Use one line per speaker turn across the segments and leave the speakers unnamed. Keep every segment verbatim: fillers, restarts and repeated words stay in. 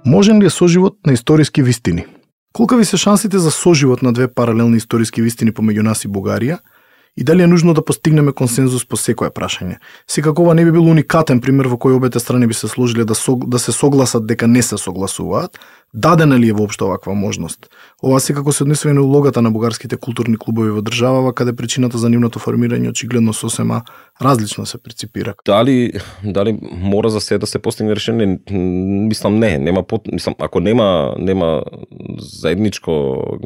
Можен ли е соживот на историски вистини? Колкави се шансите за соживот на две паралелни историски вистини помеѓу нас и Бугарија? И дали е нужно да постигнеме консензус по секое прашање? Секако ова не би бил уникатен пример во кој обете страни би се сложиле да, сог, да се согласат дека не се согласуваат. Дадена ли е воопшто оваква можност? Ова секако се однесува и на улогата на бугарските културни клубови во државава, каде причината за нивното формирање очигледно сосема различно се преципира.
Дали дали мора за се да се постигне решение? Мислам не, нема пот... мислам ако нема нема заедничко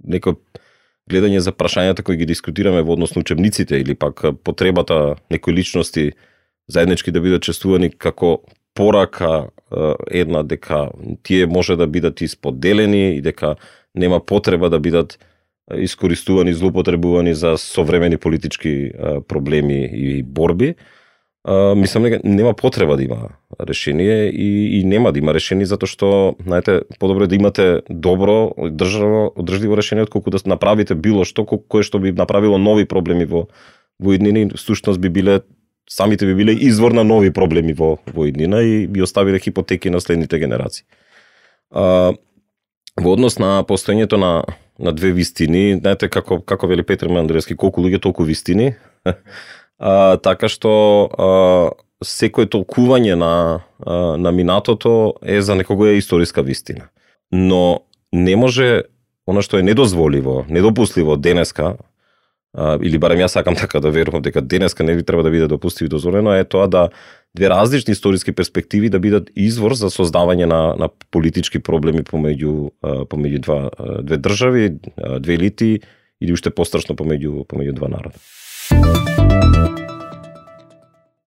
некој гледање за прашањата кои ги дискутираме во однос на учебниците или пак потребата некои личности заеднички да бидат чествувани како порака една дека тие може да бидат исподелени и дека нема потреба да бидат искористувани, злоупотребувани за современи политички проблеми и борби. Uh, мислам дека нема потреба да има решение и, и нема да има решение затоа што, знаете, подобро е да имате добро, државо, одржливо решение отколку да направите било што кое што би направило нови проблеми во во иднина, всушност би биле самите би биле извор на нови проблеми во во иднина и би оставиле хипотеки на следните генерации. Uh, во однос на постоењето на на две вистини, знаете како како вели Петар Мандревски, колку луѓе толку вистини. А, така што а, секој толкување на, а, на минатото е за некого е историска вистина. Но не може, она што е недозволиво, недопустливо денеска, а, или барем јас сакам така да верувам дека денеска не би треба да биде допустиво и дозволено, е тоа да две различни историски перспективи да бидат извор за создавање на, на политички проблеми помеѓу, а, помеѓу два, две држави, две елити или уште пострашно помеѓу, помеѓу два народа.